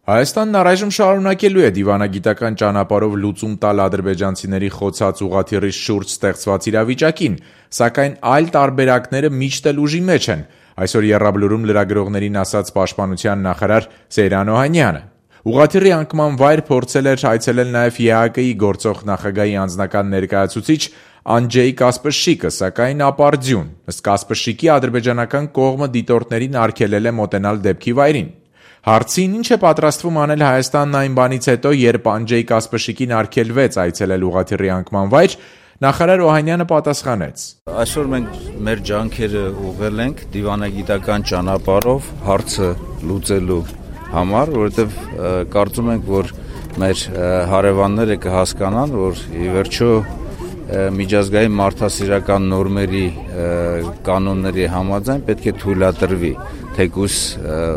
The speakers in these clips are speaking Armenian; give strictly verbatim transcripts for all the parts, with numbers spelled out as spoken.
Հայաստանն առայժմ շարունակելու է դիվանագիտական ճանապարհով լուծում տալ ադրբեջանցիների խոցած ուղղաթիռի շուրջ ստեղծված իրավիճակին, սակայն այլ տարբերակները միշտ էլ ուժի մեջ են, այսօր Եռաբլուրում լրագրողներին ասաց պաշտպանության նախարար Սեյրան Օհանյանը։ Ուղղաթիռի անկման վայր փորձել էր այցելել նաև ԵԱԿ-ի գործող նախագահի անձնական ներկայացուցիչ Անջեյ Կասպրշիկը, սակայն ապարդյուն։ Ըստ Կասպրշիկի, ադրբեջանական կողմը դիտորդներին արգելել է մոտենալ դեպքի վայրին։ Հարցին ինչ է պատրաստվում անել Հայաստանն այն բանից հետո, երբ Անջեյ Կասպրշիկին արգելվեց այցելել ուղղաթիռի անկման վայր, նախարար Օհանյանը պատասխանեց. Այսօր մենք մեր ջանքերը ուղղել ենք դիվանագիտական ճանապարհով հարցը լուծելու համար, որովհետև կարծում ենք, որ մեր հարևանները կհասկանան, որ ի վերջո միջազգային մարդասիրական նորմերի կանոնների համաձայն պետք է թույլատրվի թեկուզ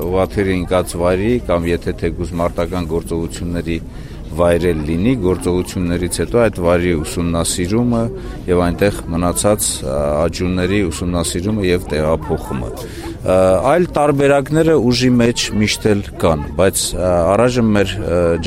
ուղղաթիռի ընկած վայրի կամ եթե թեկուզ մարտական գործողությունների վայրել լինի, գործողություններից հետո այդ վայրի ուսումնասիրումը եւ այնտեղ մնացած աջունների ուսումնասիրումը եւ տեղափոխումը։ Այլ տարբերակները ուժի մեջ միշտ էլ կան, բայց առայժմ մեր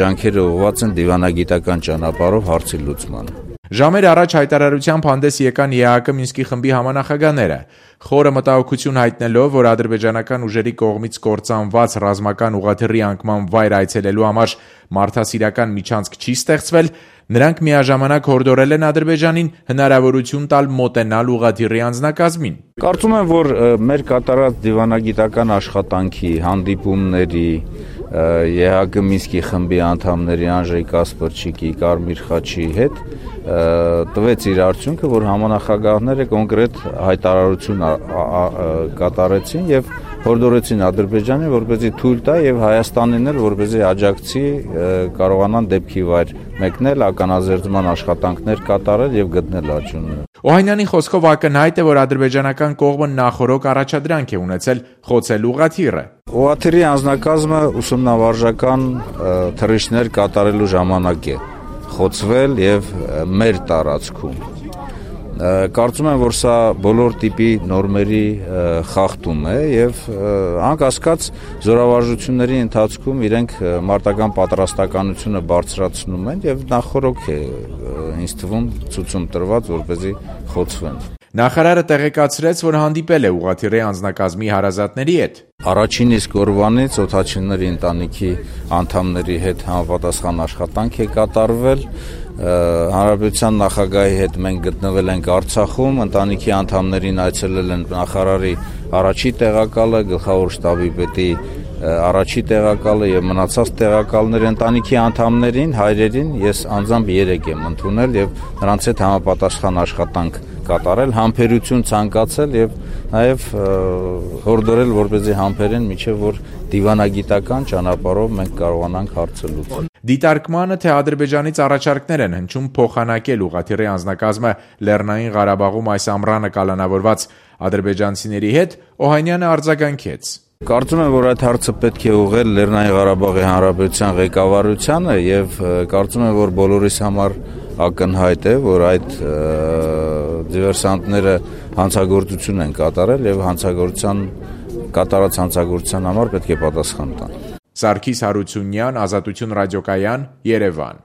ջանքերը ուղղված են դիվանագիտական ճանապարհով հարցի լուծմանը։ Ժամեր առաջ հայտարարությամբ հանդես եկան ԵԱԿ Մինսկի խմբի համանախագահները, խորը մտահոգություն հայտնելով, որ ադրբեջանական ուժերի կողմից կործանված ռազմական ուղղաթիռի անկման վայր այցելելու համար մարդասիրական միջանցք չի ստեղծվել, նրանք միաժամանակ հորդորել են Ադրբեջանին հնարավորություն տալ մոտենալ ուղղաթիռի անձնակազմին։ Կարծում եմ, որ մեր կատարած դիվանագիտական աշխատանքի, հանդիպումների, ԵԱԿ Մինսկի խմբի անդամների Անջեյ Կասպրշիկի, Կարմիր խաչի հետ տվեց իր արդյունքը, որ համանախագահները կոնկրետ հայտարարություն կատարեցին եւ հորդորեցին Ադրբեջանին, որպեսզի թույլ տա եւ Հայաստանին էլ, որպեսզի աջակցի կարողանան դեպքի վայր մեկնել, ականազերծման աշխատանքներ կատարել եւ գտնել աջունները։ Օհանյանի խոսքով ակնհայտ է, որ ադրբեջանական կողմը նախօրոք առաջադրանք է ունեցել խոցել ուղղաթիռը։ Ուղղաթիռի անձնակազմը ուսումնավարժական թռիչքներ կատարելու ժամանակ է խոցվել եւ մեր տարածքում։ Կարծում եմ, որ սա բոլոր տիպի նորմերի խախտում է եւ անկասկած զորավարժությունների ընթացքում իրենք մարտական պատրաստականությունը բարձրացնում են եւ նախորոք է ինձ թվում ցույցում տրված, որպեսզի խոցվեն։ Նախարարը տեղեկացրեց, որ հանդիպել է ուղղաթիռի անձնակազմի հարազատների հետ։ Առաջին իսկ օրվանից օդաչիների ընտանիքի անդամների հետ համապատասխան աշխատանք է կատարվել։ Հանրապետության նախագահի հետ մենք գտնվել ենք Արցախում, ընտանիքի անդամներին այցելել են նախարարի առաջի տեղակալը, գլխավոր շտաբի պետի առաջի տեղակալը եւ մնացած տեղակալները, ընտանիքի անդամներին, հայրերին ես անձամբ երեք եմ ընդունել եւ նրանց հետ համապատասխան աշխատանք կատարել, համբերություն ցանկացել եւ նաեւ հորդորել, որպեսզի համբերեն, միջև որ դիվանագիտական ճանապարհով մենք կարողանանք հարցը լուծել։ Դիտարկմանը, թե Ադրբեջանից առաջարկներ են հնչում փոխանակել ուղղաթիռի անձնակազմը Լեռնային Ղարաբաղում այս ամռանը կալանավորված ադրբեջանցիների հետ, Օհանյանը արձագանքեց։ Կարծում եմ, որ այդ հարցը պետք է ուղղել Լեռնային Ղարաբաղի Հանրապետության ղեկավարությանը եւ կարծում եմ, որ բոլորիս համար ակնհայտ է, որ այդ դիվերսանտները հանցագործություն են կատարել եւ հանցագործության կատարած հանցագործության համար պետք է պատասխան տան։ Սարգիս Հարությունյան, Ազատություն ռադիոկայան, Երևան։